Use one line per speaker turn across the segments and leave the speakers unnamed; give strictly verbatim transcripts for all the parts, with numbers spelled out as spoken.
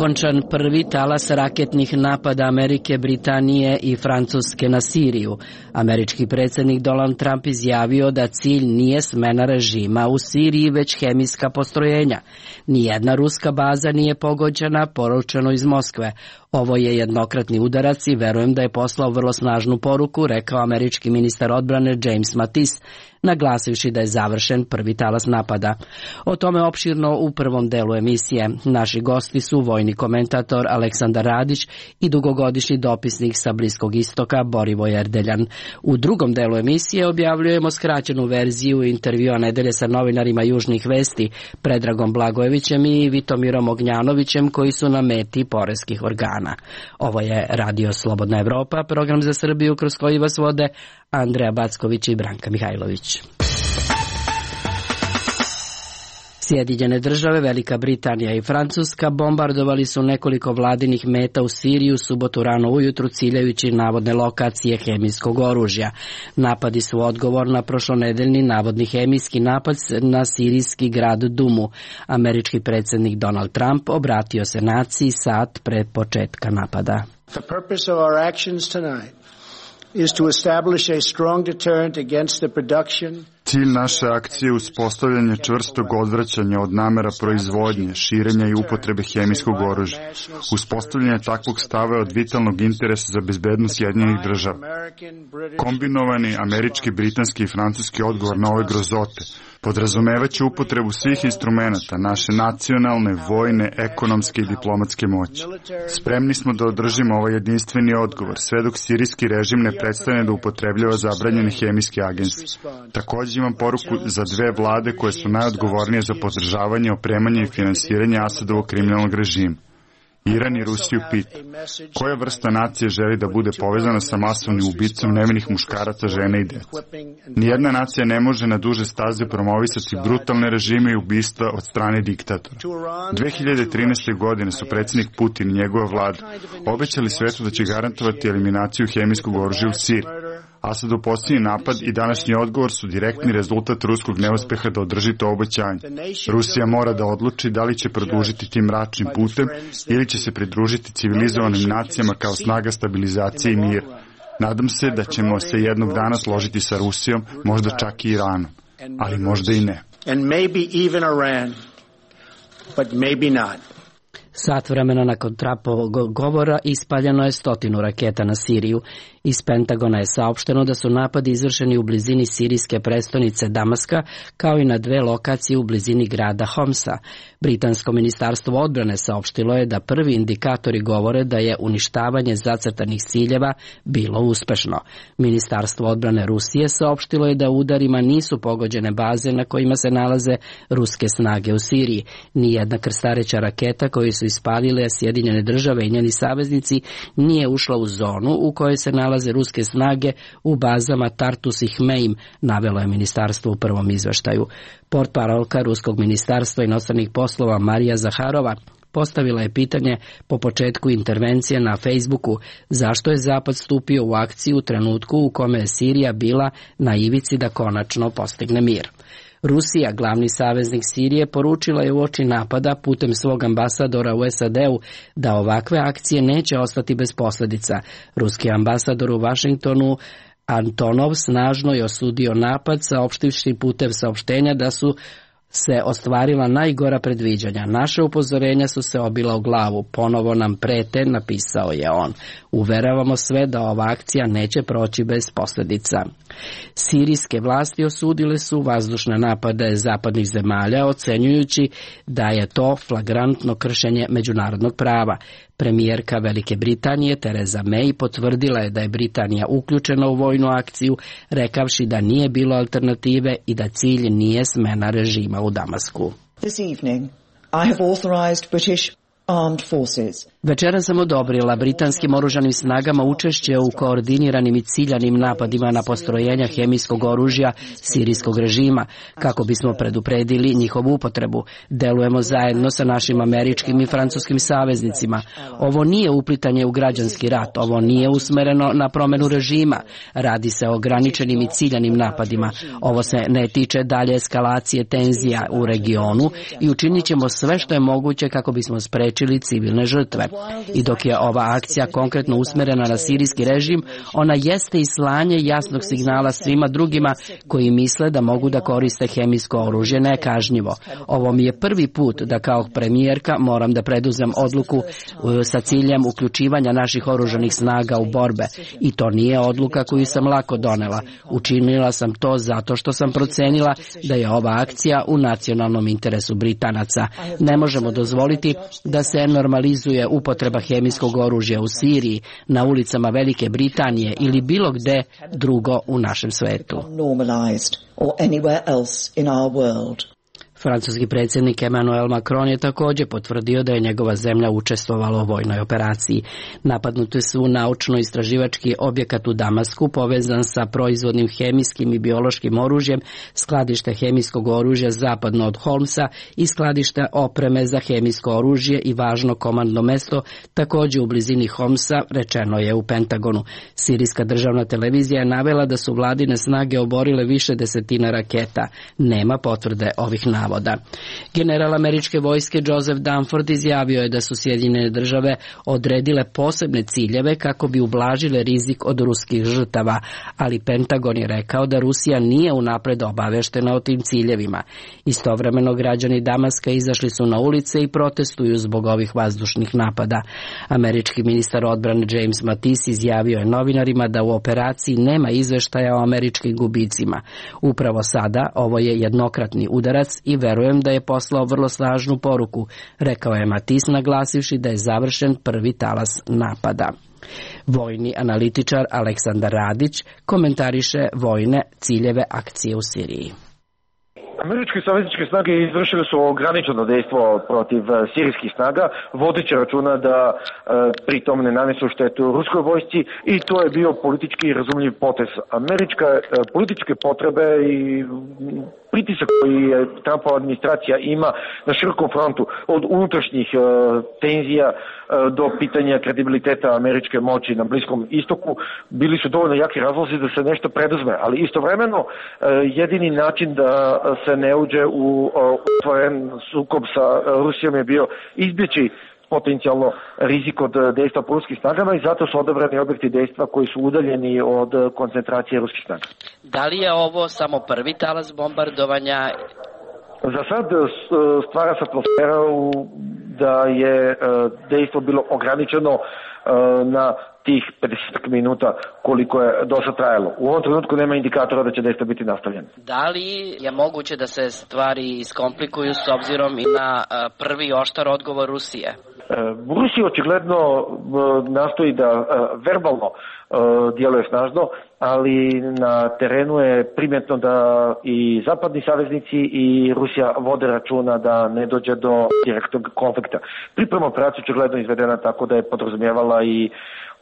okončan prvi talas raketnih napada Amerike, Britanije i Francuske na Siriju. Američki predsjednik Donald Trump izjavio da cilj nije smena režima u Siriji, već hemijska postrojenja. Nijedna ruska baza nije pogođena, poručeno iz Moskve. Ovo je jednokratni udarac i verujem da je poslao vrlo snažnu poruku, rekao američki ministar odbrane James Mattis, naglasivši da je završen prvi talas napada. O tome opširno u prvom delu emisije. Naši gosti su vojni komentator Aleksandar Radić i dugogodišnji dopisnik sa Bliskog istoka Borivoj Erdeljan. U drugom delu emisije objavljujemo skraćenu verziju intervjua nedelje sa novinarima Južnih vesti Predragom Blagojevićem i Vitomirom Ognjanovićem, koji su na meti poreskih organa. Ovo je Radio Slobodna Evropa, program za Srbiju kroz koji vas vode Andreja Backović i Branka Mihajlović. Sjedinjene države, Velika Britanija i Francuska bombardovali su nekoliko vladinih meta u Siriju subotu rano ujutru, ciljajući navodne lokacije hemijskog oružja. Napadi su odgovor na prošlonedeljni navodni hemijski napad na sirijski grad Dumu. Američki predsjednik Donald Trump obratio se naciji sat pre početka napada.
The purpose of our actions tonight is to establish a strong deterrent against the production.
Cilj naše akcije je uspostavljanje čvrstog odvraćanja od namera proizvodnje, širenja i upotrebe hemijskog oružja. Uspostavljanje takvog stava je od vitalnog interesa za bezbednost Sjedinjenih država. Kombinovani američki, britanski i francuski odgovor na ove grozote podrazumevaće upotrebu svih instrumenata naše nacionalne, vojne, ekonomske i diplomatske moći. Spremni smo da održimo ovaj jedinstveni odgovor, sve dok sirijski režim ne prestane da upotrebljava zabranjene hemijske agense. Također imam poruku za dve vlade koje su najodgovornije za podržavanje, opremanje i finansiranje Asadovog kriminalnog režima. Iran i Rusiju pita, koja vrsta nacije želi da bude povezana sa masovnim ubicom nevinih muškaraca, žena i dece? Nijedna nacija ne može na duže staze promovisati brutalne režime i ubistva od strane diktatora. dve hiljade trinaeste. godine su predsjednik Putin i njegova vlada obećali svetu da će garantovati eliminaciju hemijskog oružja u Siriji. Asadov posljednji napad i današnji odgovor su direktni rezultat ruskog neuspeha da održi to obećanje. Rusija mora da odluči da li će produžiti tim mračnim putem ili će se pridružiti civilizovanim nacijama kao snaga stabilizacije i mira. Nadam se da ćemo se jednog dana složiti sa Rusijom, možda čak i Iranom, ali možda i ne.
And maybe even Iran, but maybe not.
Sat vremena nakon Trumpovog govora ispaljeno je stotinu raketa na Siriju. Iz Pentagona je saopšteno da su napadi izvršeni u blizini sirijske prestonice Damaska, kao i na dve lokacije u blizini grada Homsa. Britansko ministarstvo odbrane saopštilo je da prvi indikatori govore da je uništavanje zacrtanih ciljeva bilo uspešno. Ministarstvo odbrane Rusije saopštilo je da udarima nisu pogođene baze na kojima se nalaze ruske snage u Siriji. Nijedna krstareća raketa koju su ispalile Sjedinjene države i njeni saveznici nije ušla u zonu u kojoj se nalaze ruske snage u bazama Tartus i Hmeim, navelo je ministarstvo u prvom izveštaju. Portparolka Ruskog ministarstva inostranih poslova Marija Zaharova postavila je pitanje po početku intervencije na Facebooku zašto je Zapad stupio u akciju u trenutku u kome je Sirija bila na ivici da konačno postigne mir. Rusija, glavni saveznik Sirije, poručila je uoči napada putem svog ambasadora u S A D-u da ovakve akcije neće ostati bez posljedica. Ruski ambasador u Vašingtonu Antonov snažno je osudio napad, saopštivši putem saopštenja da su se ostvarila najgora predviđanja. Naše upozorenja su se obila u glavu. Ponovo nam prete, napisao je on. Uveravamo sve da ova akcija neće proći bez posljedica. Sirijske vlasti osudile su vazdušne napade zapadnih zemalja, ocenjujući da je to flagrantno kršenje međunarodnog prava. Premijerka Velike Britanije Theresa May potvrdila je da je Britanija uključena u vojnu akciju, rekavši da nije bilo alternative i da cilj nije smena režima u Damasku.
This evening I have authorized British armed forces
Večera sam odobrila britanskim oružanim snagama učešće u koordiniranim i ciljanim napadima na postrojenja hemijskog oružja sirijskog režima, kako bismo predupredili njihovu upotrebu. Delujemo zajedno sa našim američkim i francuskim saveznicima. Ovo nije uplitanje u građanski rat, ovo nije usmereno na promenu režima. Radi se o ograničenim i ciljanim napadima. Ovo se ne tiče dalje eskalacije tenzija u regionu i učinit ćemo sve što je moguće kako bismo sprečili civilne žrtve. I dok je ova akcija konkretno usmerena na sirijski režim, ona jeste i slanje jasnog signala svima drugima koji misle da mogu da koriste hemijsko oružje nekažnjivo. Ovo mi je prvi put da kao premijerka moram da preduzem odluku sa ciljem uključivanja naših oružanih snaga u borbe. I to nije odluka koju sam lako donela. Učinila sam to zato što sam procenila da je ova akcija u nacionalnom interesu Britanaca. Ne možemo dozvoliti da se normalizuje upotreba hemijskog oružja u Siriji, na ulicama Velike Britanije ili bilo gde drugo u našem svetu. Francuski predsjednik Emmanuel Macron je također potvrdio da je njegova zemlja učestvovala u vojnoj operaciji. Napadnuti su naučno-istraživački objekat u Damasku povezan sa proizvodnim hemijskim i biološkim oružjem, skladište hemijskog oružja zapadno od Holmsa i skladište opreme za hemijsko oružje i važno komandno mesto također u blizini Homsa, rečeno je u Pentagonu. Sirijska državna televizija je navela da su vladine snage oborile više desetina raketa. Nema potvrde ovih navoda. General američke vojske Joseph Dunford izjavio je da su Sjedinjene države odredile posebne ciljeve kako bi ublažile rizik od ruskih žrtava, ali Pentagon je rekao da Rusija nije unapred obaveštena o tim ciljevima. Istovremeno građani Damaska izašli su na ulice i protestuju zbog ovih vazdušnih napada. Američki ministar odbrane James Mattis izjavio je novinarima da u operaciji nema izveštaja o američkim gubicima. Upravo sada ovo je jednokratni udarac i verujem da je poslao vrlo snažnu poruku, rekao je Mattis naglasivši da je završen prvi talas napada. Vojni analitičar Aleksandar Radić komentariše vojne ciljeve akcije u Siriji.
Američke savezničke snage izvršile su ograničeno dejstvo protiv sirijskih snaga, vodeći računa da e, pritom ne nanesu štetu ruskoj vojsci i to je bio politički razumljiv potez. Američka e, političke potrebe i pritisak koji je Trumpova administracija ima na širokom frontu, od unutrašnjih e, tenzija e, do pitanja kredibiliteta američke moći na Bliskom istoku, bili su dovoljno jaki razlozi da se nešto preduzme, ali istovremeno e, jedini način da se ne uđe u otvoren sukob sa Rusijom je bio izbjeći potencijalno rizik od dejstva po ruskim snagama i zato su odabrani objekti dejstva koji su udaljeni od koncentracije ruskih snaga.
Da li je ovo samo prvi talas bombardovanja?
Za sad stvara se atmosfera da je dejstvo bilo ograničeno na tih pedeset minuta koliko je do sad trajalo. U ovom trenutku nema indikatora da će dejstvo biti nastavljeno.
Da li je moguće da se stvari iskomplikuju s obzirom i na prvi oštar odgovor Rusije?
Rusija očigledno nastoji da verbalno djeluje snažno, ali na terenu je primjetno da i zapadni saveznici i Rusija vode računa da ne dođe do direktnog konflikta. Priprema operacija očigledno izvedena tako da je podrazumijevala i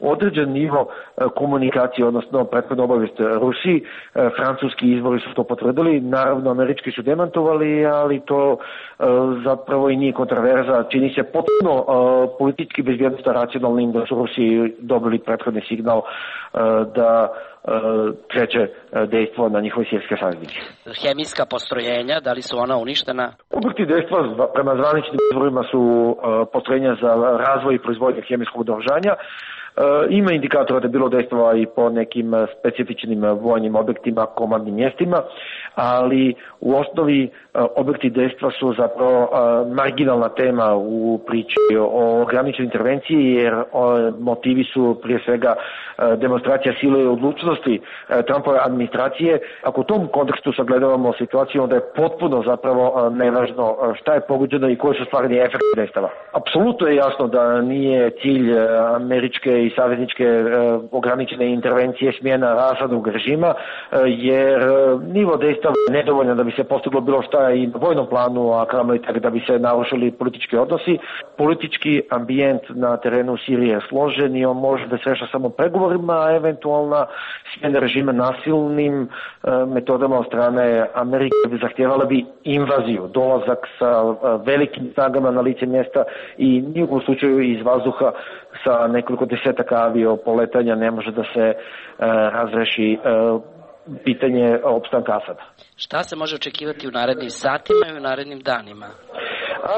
određen nivo komunikacije, odnosno prethodnu obavijest Rusiji. Francuski izvori su to potvrdili, naravno američki su demantovali, ali to zapravo i nije kontraverza. Čini se potpuno politički bezbjednosno racionalnim da su Rusiji dobili prethodni signal da kreće dejstvo na njihove sirijske saveznike.
Hemijska postrojenja, da li su ona uništena?
Objekti dejstva prema zvaničnim izvorima su postrojenja za razvoj i proizvodnje hemijskog naoružanja. Ima indikatora da je bilo dejstva i po nekim specifičnim vojnim objektima, komandnim mjestima, ali u osnovi objekti dejstva su zapravo marginalna tema u priči o ograničenoj intervenciji, jer motivi su prije svega demonstracija sile i odlučnosti Trumpove administracije. Ako u tom kontekstu sagledavamo situaciju, onda je potpuno zapravo nevažno šta je pogođeno i koji su stvarni efekti dejstava. Apsolutno je jasno da nije cilj američke i savezničke ograničene intervencije smjena Asadovog režima, jer nivo dejstva predstava nedovoljna da bi se postiglo bilo šta i na vojnom planu, a kamoli tek da bi se narušili politički odnosi. Politički ambijent na terenu u Siriji je složen i on može da se reša samo pregovorima, a eventualna smjena režima nasilnim e, metodama od strane Amerike bi zahtjevala bi invaziju, dolazak sa e, velikim snagama na lice mjesta i nijekom slučaju iz vazduha sa nekoliko desetaka avio poletanja ne može da se e, razreši e, pitanje opstanka Asada.
Šta se može očekivati u narednim satima i u narednim danima?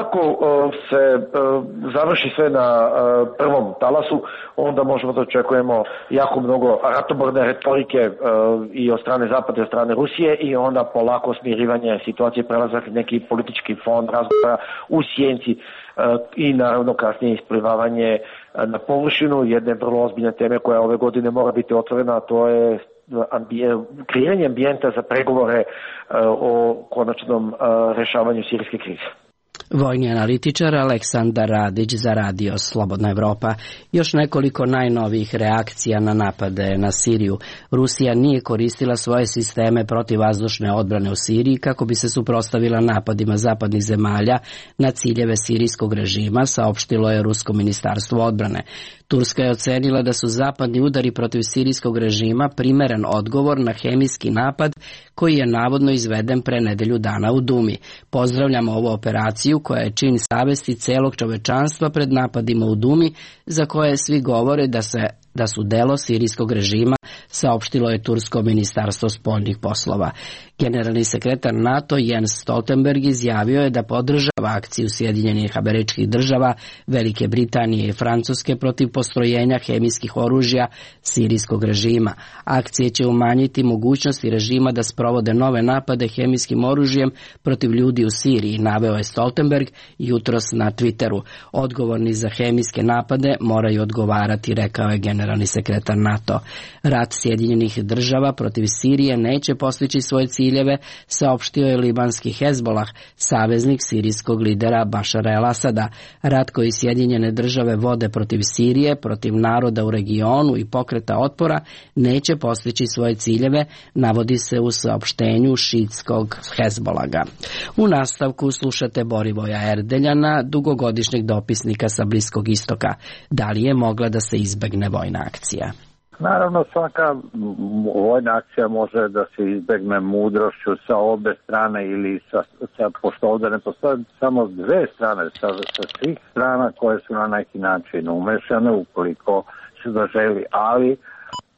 Ako uh, se uh, završi sve na uh, prvom talasu, onda možemo da očekujemo jako mnogo ratoborne retorike uh, i od strane Zapada i od strane Rusije i onda polako smirivanje situacije, prelazak neki politički fond razgovora u sjenci uh, i naravno kasnije isplivavanje uh, na površinu jedne vrlo ozbiljne teme koja ove godine mora biti otvorena, a to je kreiranje ambijenta za pregovore uh, o konačnom uh, rešavanju sirijske krize.
Vojni analitičar Aleksandar Radić za Radio Slobodna Evropa. Još nekoliko najnovijih reakcija na napade na Siriju. Rusija nije koristila svoje sisteme protivvazdušne odbrane u Siriji kako bi se suprotstavila napadima zapadnih zemalja na ciljeve sirijskog režima, saopštilo je Rusko ministarstvo odbrane. Turska je ocenila da su zapadni udari protiv sirijskog režima primeren odgovor na hemijski napad koji je navodno izveden pre nedelju dana u Dumi. Pozdravljamo ovu operaciju koja je čin savesti celog čovečanstva pred napadima u Dumi, za koje svi govore da se da su delo sirijskog režima, saopštilo je Tursko ministarstvo spoljnih poslova. Generalni sekretar NATO Jens Stoltenberg izjavio je da podržava akciju Sjedinjenih Američkih Država, Velike Britanije i Francuske protiv postrojenja hemijskih oružja sirijskog režima. Akcije će umanjiti mogućnosti režima da sprovode nove napade hemijskim oružjem protiv ljudi u Siriji, naveo je Stoltenberg jutros na Twitteru. Odgovorni za hemijske napade moraju odgovarati, rekao je generalni sekretar NATO. Rat Sjedinjenih Država protiv Sirije neće postići svoje ciljeve, saopštio je libanski Hezbolah, saveznik sirijskog lidera Bašara el-Asada. Rat koji Sjedinjene Države vode protiv Sirije, protiv naroda u regionu i pokreta otpora neće postići svoje ciljeve, navodi se u saopštenju šiitskog Hezbolaga. U nastavku slušate Borivoja Erdeljana, dugogodišnjeg dopisnika sa Bliskog istoka. Da li je mogla da se izbegne vojna akcija?
Naravno, svaka vojna akcija može da se izbegne mudrošću sa obe strane ili sa, sa pošto ovdje ne postoje samo dve strane, sa, sa svih strana koje su na neki način umešane ukoliko se da želi, ali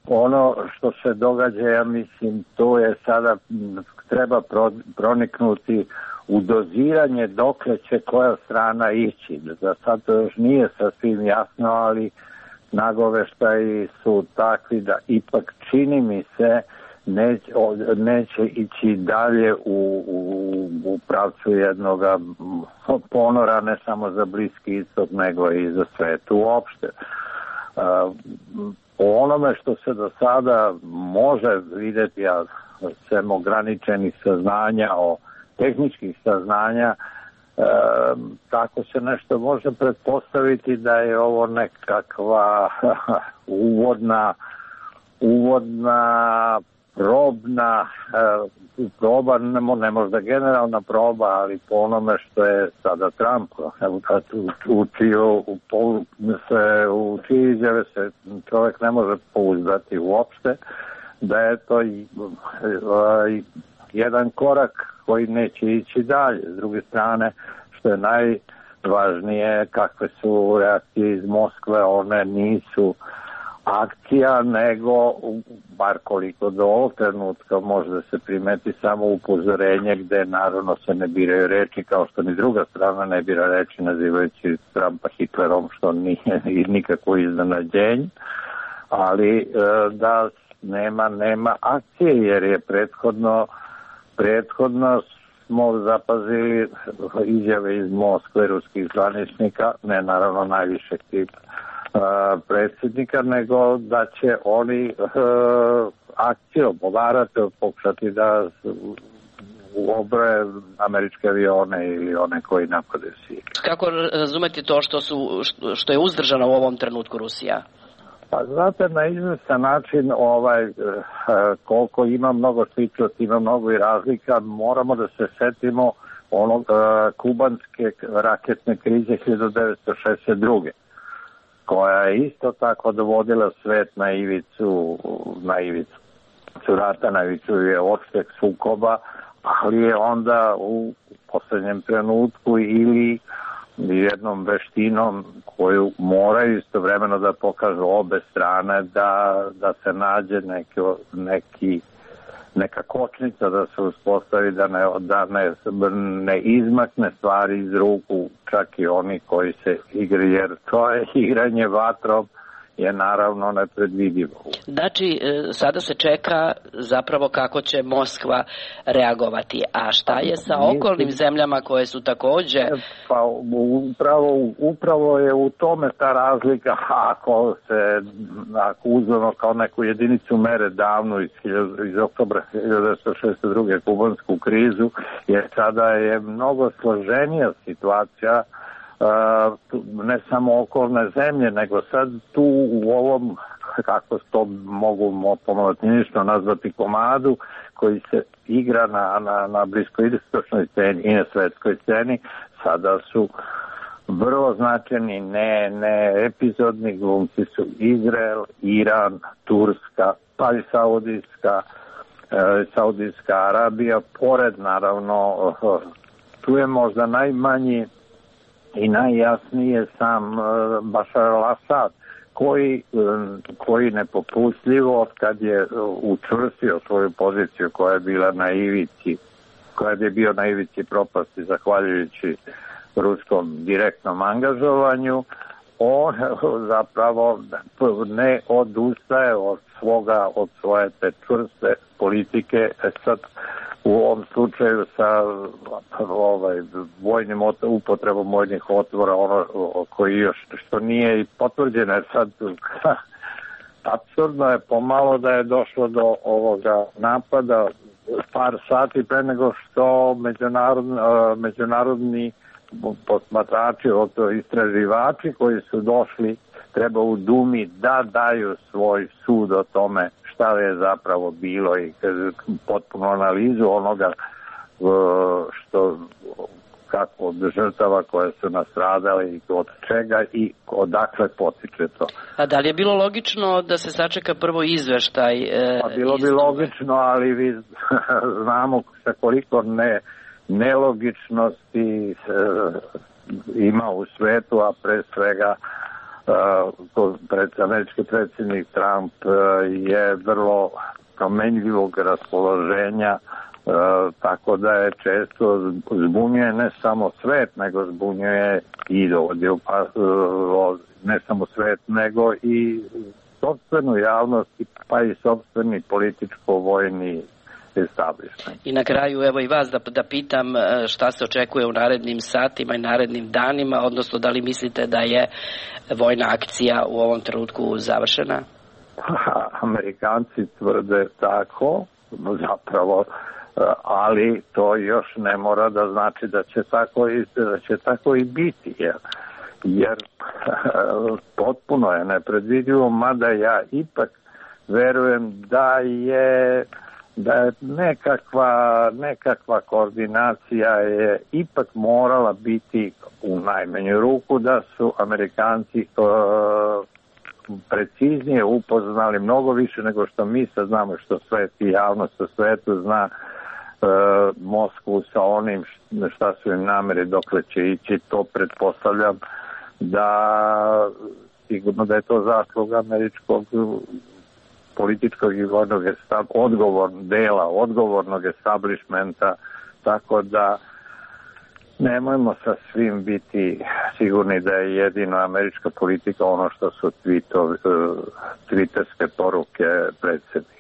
ono što se događa, ja mislim, to je sada treba pro, proniknuti u doziranje dokle će koja strana ići. Za sad to još nije sasvim jasno, ali nagoveštaji su takvi da ipak čini mi se neće, neće ići dalje u, u, u pravcu jednog ponora ne samo za Bliski istok nego i za svet uopšte. Po onome što se do sada može vidjeti, a sem ograničenih saznanja, o tehničkih saznanja, E, tako se nešto može pretpostaviti da je ovo nekakva uvodna uvodna probna e, proba, ne, ne možda generalna proba, ali po onome što je sada Trump učio u, u, se, u čije izjave se čovjek ne može pouzdati uopšte, da je to i, i, jedan korak koji neće ići dalje. S druge strane, što je najvažnije, kakve su reakcije iz Moskve, one nisu akcija, nego, bar koliko do ovog trenutka, može da se primeti samo upozorenje gde naravno se ne biraju reči, kao što ni druga strana ne bira reči nazivajući Trumpa Hitlerom, što nije nikako iznenađenje, ali da nema, nema akcije, jer je prethodno Prethodno smo zapazili izjave iz Moskve ruskih zvaničnika, ne naravno najvišeg tipa predsjednika, nego da će oni akcijom povarati, pokušati da obroje američke avione ili one koji napadaju Siriju.
Kako razumeti to što, su, što je uzdržana u ovom trenutku Rusija?
Pa znate, na izvestan način ovaj, koliko ima mnogo sličnosti, ima mnogo i razlika, moramo da se setimo onog kubanske raketne krize hiljadu devetsto šezdeset druge koja je isto tako dovodila svet na ivicu, na ivicu rata, na ivicu je opšteg sukoba, ali je onda u poslednjem trenutku ili jednom veštinom koju moraju istovremeno da pokažu obe strane da, da se nađe neki, neki, neka kočnica da se uspostavi, da, ne, da ne, ne izmakne stvari iz ruku čak i oni koji se igraju, jer to je igranje vatrom je naravno nepredvidivo.
Znači, sada se čeka zapravo kako će Moskva reagovati. A šta je sa okolnim zemljama koje su takođe...
Pa upravo, upravo je u tome ta razlika, ako se ako uzmemo kao neku jedinicu mere davno iz, iz oktobra hiljadu devetsto šezdeset druge kubansku krizu, jer sada je mnogo složenija situacija. Uh, ne samo okolne zemlje, nego sad tu u ovom, kako to mogu pomalatinjično nazvati, komadu koji se igra na, na, na bliskoistočnoj sceni i na svetskoj sceni, sada su vrlo značajni, ne, ne epizodni glumci su Izrael, Iran, Turska, pa i Saudijska, e, Saudijska Arabija, pored naravno, tu je možda najmanji i najjasnije sam Bašar al-Asad, koji, koji nepopustljivo kad je učvrstio svoju poziciju koja je bila na ivici, koja je bio na ivici propasti zahvaljujući ruskom direktnom angažovanju, on zapravo ne odustaje od svoga, od svoje te čvrste politike. Sad u ovom slučaju sa ovaj, vojnim upotrebom vojnih otvora, ono koji još što nije i potvrđeno, jer sad apsurdno je pomalo da je došlo do ovoga napada par sati pre nego što međunarodni, međunarodni posmatrači, istraživači koji su došli, treba u Dumi da daju svoj sud o tome šta je zapravo bilo i potpuno analizu onoga što kako od žrtava koje su nastradale i od čega i odakle potiče to.
A da li je bilo logično da se sačeka prvo izveštaj? E,
pa bilo bi logično, ali vi znamo sa koliko ne, nelogičnosti e, ima u svetu, a pre svega Uh, američki predsjednik Trump uh, je vrlo promenljivog raspoloženja, uh, tako da je često zbunjuje ne samo svet, nego zbunjuje i ovdje, pa, uh, ne samo svet, nego i sopstvenu javnost, pa i sopstveni političko-vojni establishment.
I na kraju, evo i vas da, da pitam šta se očekuje u narednim satima i narednim danima, odnosno da li mislite da je vojna akcija u ovom trenutku završena?
Amerikanci tvrde tako, zapravo, ali to još ne mora da znači da će tako i, da će tako i biti, jer, jer potpuno je nepredvidivo, mada ja ipak verujem da je da je nekakva, nekakva koordinacija je ipak morala biti u najmanju ruku, da su Amerikanci uh, preciznije upoznali mnogo više nego što mi sad znamo, što svet i javnost u svetu zna uh, Moskvu sa onim šta su im namere, dokle će ići. To pretpostavljam da sigurno da je to zasluga američkog političkog i vojnog odgovor, dela, odgovornog establishmenta, tako da nemojmo sa svim biti sigurni da je jedino američka politika ono što su tweetovi, twitterske poruke predsjednika.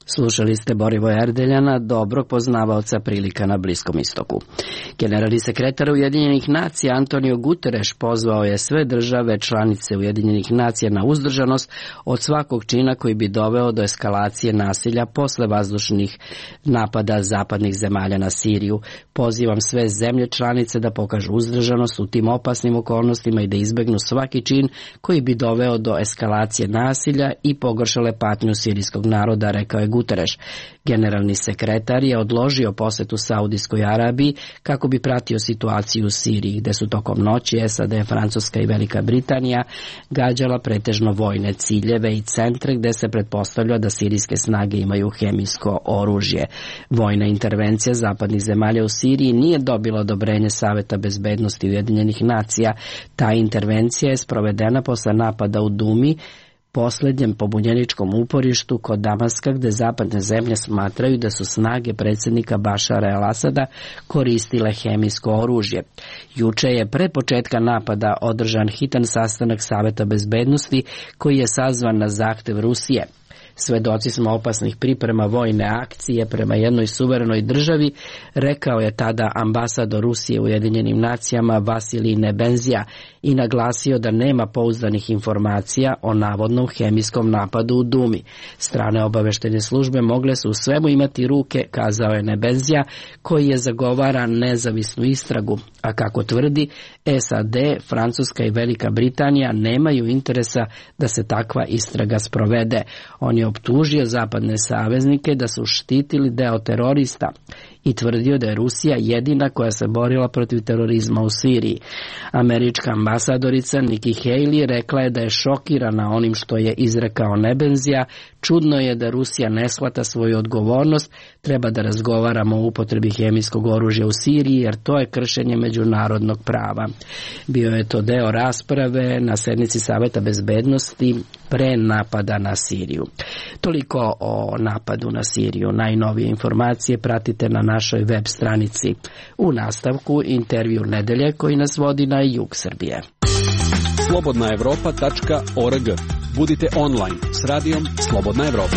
Slušali ste Borivoja Erdeljana, dobrog poznavaoca prilika na Bliskom istoku. Generalni sekretar Ujedinjenih nacija Antonio Guterres pozvao je sve države članice Ujedinjenih nacija na uzdržanost od svakog čina koji bi doveo do eskalacije nasilja posle vazdušnih napada zapadnih zemalja na Siriju. Pozivam sve zemlje članice da pokažu uzdržanost u tim opasnim okolnostima i da izbegnu svaki čin koji bi doveo do eskalacije nasilja i pogoršale patnju sirijskog naroda, rekao je Guterres. Generalni sekretar je odložio posetu Saudijskoj Arabiji kako bi pratio situaciju u Siriji, gde su tokom noći S A D, Francuska i Velika Britanija gađala pretežno vojne ciljeve i centre gde se pretpostavlja da sirijske snage imaju hemijsko oružje. Vojna intervencija zapadnih zemalja u Siriji nije dobila odobrenje Saveta bezbednosti Ujedinjenih nacija. Ta intervencija je sprovedena posle napada u Dumi, poslednjem pobunjeničkom uporištu kod Damaska, gde zapadne zemlje smatraju da su snage predsjednika Bašara el-Asada koristile hemijsko oružje. Juče je pre početka napada održan hitan sastanak Saveta bezbednosti koji je sazvan na zahtev Rusije. Svedoci smo opasnih priprema vojne akcije prema jednoj suverenoj državi, rekao je tada ambasador Rusije u Ujedinjenim nacijama Vasilij Nebenzija i naglasio da nema pouzdanih informacija o navodnom hemijskom napadu u Dumi. Strane obaveštene službe mogle su u svemu imati ruke, kazao je Nebenzija, koji je zagovara nezavisnu istragu, a kako tvrdi, S A D, Francuska i Velika Britanija nemaju interesa da se takva istraga sprovede. On je optužio zapadne saveznike da su štitili deo terorista i tvrdio da je Rusija jedina koja se borila protiv terorizma u Siriji. Američka ambasadorica Nikki Haley rekla je da je šokirana onim što je izrekao Nebenzija. Čudno je da Rusija ne shvata svoju odgovornost, treba da razgovaramo o upotrebi hemijskog oružja u Siriji jer to je kršenje međunarodnog prava. Bio je to deo rasprave na sednici Saveta bezbednosti pre napada na Siriju. Toliko o napadu na Siriju. Najnovije informacije pratite na našoj web stranici. U nastavku intervju nedelje koji nas vodi na jug Srbije.
slobodna evropa tačka org. Budite online s radijom Slobodna Evropa.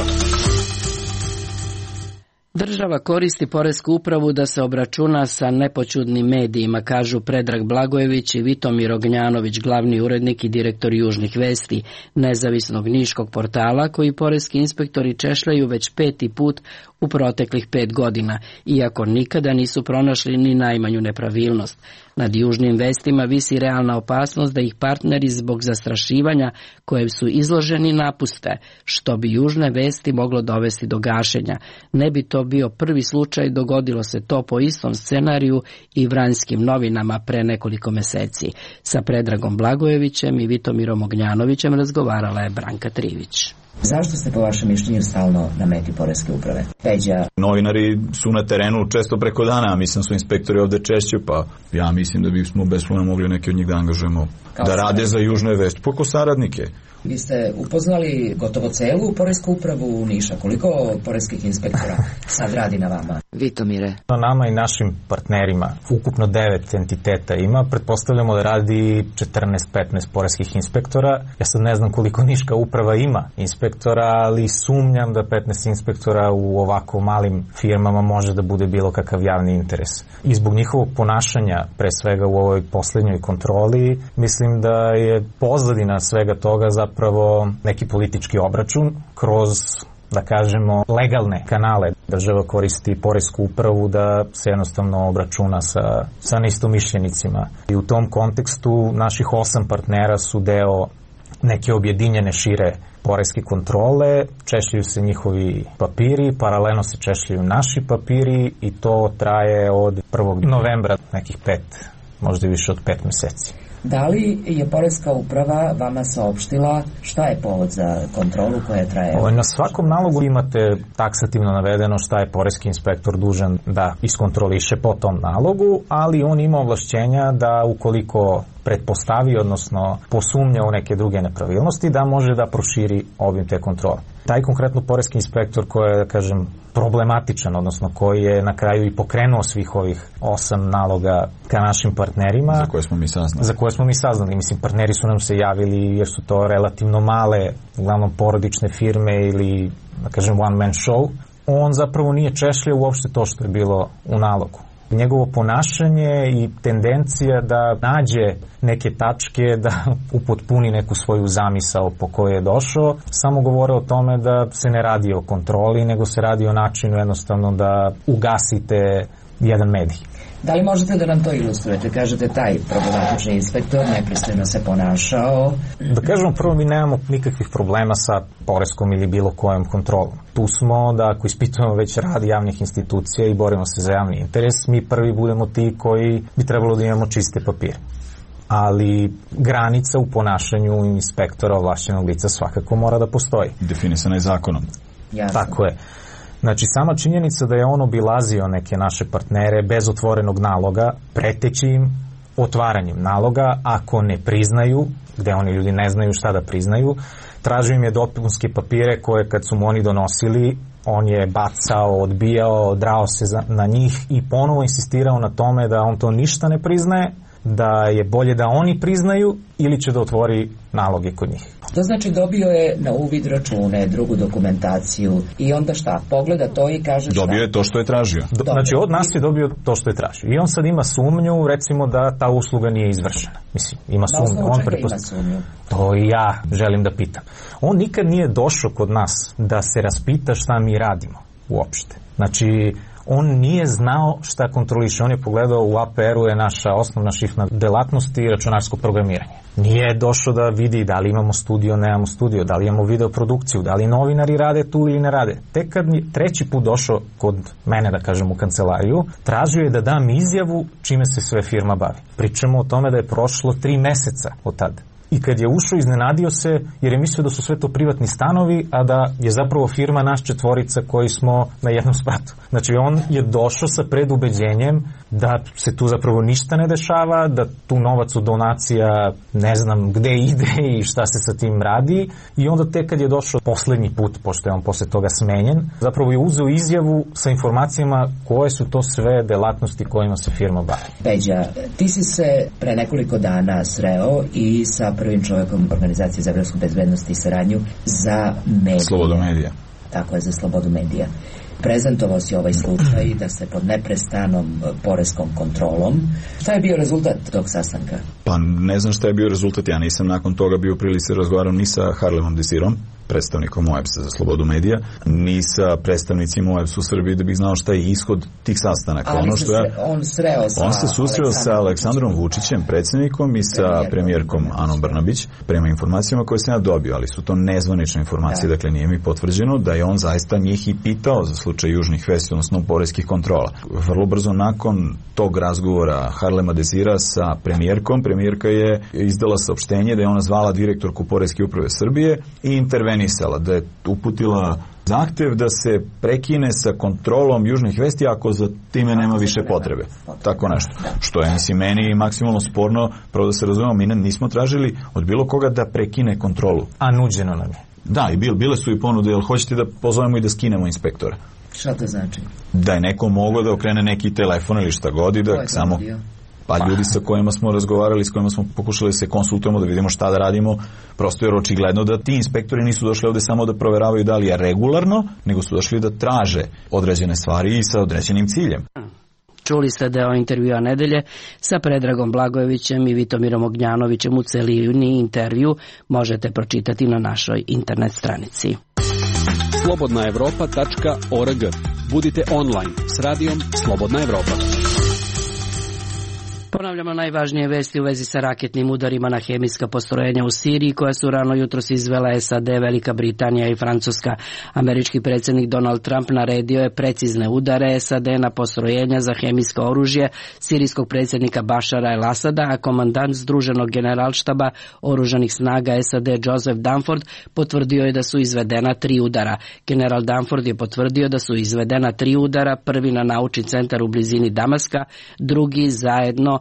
Država koristi poresku upravu da se obračuna sa nepoćudnim medijima, kažu Predrag Blagojević i Vitomir Ognjanović, glavni urednik i direktor Južnih vesti, nezavisnog niškog portala koji poreski inspektori češljaju već peti put u proteklih pet godina, iako nikada nisu pronašli ni najmanju nepravilnost. Nad Južnim vestima visi realna opasnost da ih partneri zbog zastrašivanja koje su izloženi napuste, što bi Južne vesti moglo dovesti do gašenja. Ne bi to bio prvi slučaj, dogodilo se to po istom scenariju i Vranjskim novinama pre nekoliko meseci. Sa Predragom Blagojevićem i Vitomirom Ognjanovićem razgovarala je Branka Trivić.
Zašto ste po vašem mišljenju stalno na meti poreske uprave? Peđa.
Novinari su na terenu često preko dana, a mislim su inspektori ovde češće, pa ja mislim da bismo beslovno mogli neke od njih da angažujemo Kao da rade za Južne vesti, poko saradnike.
Vi ste upoznali gotovo celu poresku upravu u Niša. Koliko poreskih inspektora sad radi na vama?
Vitomire.
Na nama i našim partnerima ukupno devet entiteta ima. Pretpostavljamo da radi četrnaest petnaest poreskih inspektora. Ja sad ne znam koliko Niška uprava ima inspektora, ali sumnjam da petnaest inspektora u ovako malim firmama može da bude bilo kakav javni interes. I zbog njihovog ponašanja, pre svega u ovoj poslednjoj kontroli, mislim da je pozadina svega toga za zapravo neki politički obračun kroz, da kažemo, legalne kanale. Država koristi poresku upravu da se jednostavno obračuna sa, sa neistomišljenicima. I u tom kontekstu naših osam partnera su deo neke objedinjene šire poreske kontrole, češljaju se njihovi papiri, paralelno se češljaju naši papiri i to traje od prvog novembra, nekih pet, možda i više od pet meseci.
Da li je poreska uprava vama saopštila šta je povod za kontrolu koja traje?
Na svakom nalogu imate taksativno navedeno šta je poreski inspektor dužan da iskontroliše po tom nalogu, ali on ima ovlašćenja da ukoliko pretpostavi, odnosno posumnja u neke druge nepravilnosti, da može da proširi obim te kontrole. Taj konkretno poreski inspektor koji je, da kažem, problematičan, odnosno koji je na kraju i pokrenuo svih ovih osam naloga ka našim partnerima.
Za koje smo mi saznali.
Za koje smo mi saznali. Mislim, partneri su nam se javili jer su to relativno male, uglavnom porodične firme ili, da kažem, one man show. On zapravo nije češljao uopšte to što je bilo u nalogu. Njegovo ponašanje i tendencija da nađe neke tačke, da upotpuni neku svoju zamisao po kojoj je došao, samo govore o tome da se ne radi o kontroli, nego se radi o načinu jednostavno da ugasite jedan medij.
Da li možete da nam to ilustrujete? Kažete, taj problematični inspektor nepristojno se ponašao.
Da kažemo, prvo, mi nemamo nikakvih problema sa poreskom ili bilo kojom kontrolom. Tu smo da ako ispitujemo već rad javnih institucija i borimo se za javni interes, mi prvi budemo ti koji bi trebalo da imamo čiste papire. Ali granica u ponašanju inspektora ovlašćenog lica svakako mora da postoji.
Definisana je zakonom.
Jasno.
Tako je. Znači, sama činjenica da je on obilazio neke naše partnere bez otvorenog naloga, preteći im otvaranjem naloga, ako ne priznaju, gde oni ljudi ne znaju šta da priznaju, tražio im je dopunske papire koje kad su mu oni donosili, on je bacao, odbijao, drao se na njih i ponovo insistirao na tome da on to ništa ne priznaje, da je bolje da oni priznaju ili će da otvori naloge kod njih.
To znači dobio je na uvid račune, drugu dokumentaciju i onda šta? Pogleda to i kaže šta?
Dobio je to što je tražio.
Do, znači od nas je dobio to što je tražio. I on sad ima sumnju, recimo, da ta usluga nije izvršena. Mislim, ima sumnju.
Na
on
prepost... ima sumnju?
To i ja želim da pitam. On nikad nije došao kod nas da se raspita šta mi radimo uopšte. Znači, on nije znao šta kontroliše. On je pogledao, u A P R-u je naša osnovna šifna delatnost i računarsko programiranje. Nije došao da vidi da li imamo studio, nemamo studio, da li imamo videoprodukciju, da li novinari rade tu ili ne rade. Tek kad je treći put došao kod mene, da kažem, u kancelariju, tražio je da dam izjavu čime se sve firma bavi. Pričamo o tome da je prošlo tri meseca od tada. I kad je ušao, iznenadio se jer je mislio da su sve to privatni stanovi, a da je zapravo firma naš četvorica koji smo na jednom spratu. Znači, on je došao sa predubeđenjem da se tu zapravo ništa ne dešava, da tu novac od donacija ne znam gde ide i šta se sa tim radi. I onda tek kad je došao poslednji put, pošto je on posle toga smenjen, zapravo je uzeo izjavu sa informacijama koje su to sve delatnosti kojima se firma bavi.
Peđa, ti si se pre nekoliko dana sreo i sa prvim čovjekom Organizacije za evropsku bezbednost i saradnju za medije.
Slobodu medija.
Tako je, za slobodu medija. Prezentovao si ovaj slučaj da se pod neprestanom poreskom kontrolom. Šta je bio rezultat tog sastanka?
Pa ne znam šta je bio rezultat. Ja nisam nakon toga bio u prilici razgovarao ni sa Harlemom Desirom, predstavnikom O E B S-a za slobodu medija, ni sa predstavnicima O E B S-a u Srbiji da bih znao šta je ishod tih sastanaka.
Ali
ono što
se
ja,
on sreo sa
On se susreo sa Aleksandrom Vučićem, predsjednikom, i sa premijerkom Anom Brnabić, prema informacijama koje sam ja dobio, ali su to nezvanične informacije, da. Dakle nije mi potvrđeno da je on zaista njih i pitao za slučaj južnih vesti, odnosno poreskih kontrola. Vrlo brzo nakon tog razgovora Harlema Desira sa premijerkom, premijerka je izdala saopštenje da je ona zvala direktorku Poreske uprave Srbije i intervenisala, da je uputila zahtev da se prekine sa kontrolom južnih vesti ako za time nema više potrebe. Tako nešto. Što je, mislim, meni maksimalno sporno, pravo da se razumemo, mi nismo tražili od bilo koga da prekine kontrolu.
A nuđeno nam je.
Da, i bile su i ponude, jel hoćete da pozovemo i da skinemo inspektora?
Šta to znači?
Da je neko mogao da okrene neki telefon ili šta god i da samo... Pa ljudi sa kojima smo razgovarali, s kojima smo pokušali da se konsultujemo, da vidimo šta da radimo, prosto je očigledno da ti inspektori nisu došli ovde samo da proveravaju da li je regularno, nego su došli da traže određene stvari i sa određenim ciljem.
Čuli ste deo intervjua nedelje sa Predragom Blagojevićem i Vitomirom Ognjanovićem. U celini intervju možete pročitati na našoj internet stranici.
slobodna evropa tačka org. Budite online s radijom Slobodna Evropa.
Ponavljamo najvažnije vesti u vezi sa raketnim udarima na hemijska postrojenja u Siriji koja su rano jutros izvela S A D, Velika Britanija i Francuska. Američki predsjednik Donald Trump naredio je precizne udare S A D na postrojenja za hemijsko oružje sirijskog predsjednika Bašara el-Asada, a komandant Združenog generalštaba oružanih snaga S A D Joseph Dunford potvrdio je da su izvedena tri udara. General Dunford je potvrdio da su izvedena tri udara, prvi na naučni centar u blizini Damaska, drugi zajedno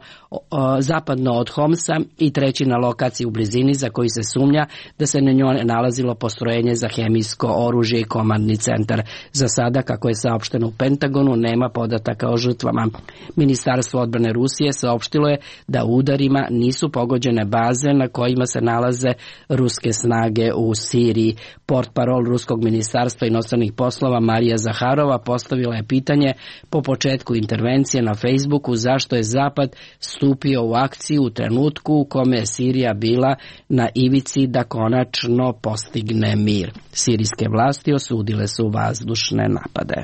zapadno, zapadno od Homsa i treći na lokaciji u blizini za koji se sumnja da se na njoj nalazilo postrojenje za hemijsko oružje i komandni centar. Za sada, kako je saopšteno u Pentagonu, nema podataka o žrtvama. Ministarstvo odbrane Rusije saopštilo je da udarima nisu pogođene baze na kojima se nalaze ruske snage u Siriji. Portparol Ruskog ministarstva inostranih poslova Marija Zaharova postavila je pitanje po početku intervencije na Facebooku zašto je Zapad stupio u akciju u trenutku u kome je Sirija bila na ivici da konačno postigne mir. Sirijske vlasti osudile su vazdušne napade.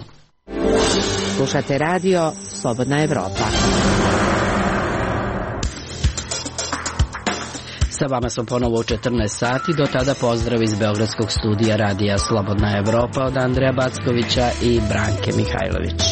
Slušate radio Slobodna Evropa.
Sa vama smo ponovo u četrnaest sati, do tada pozdrav iz Beogradskog studija radija Slobodna Evropa od Andreja Backovića i Branke Mihajlović.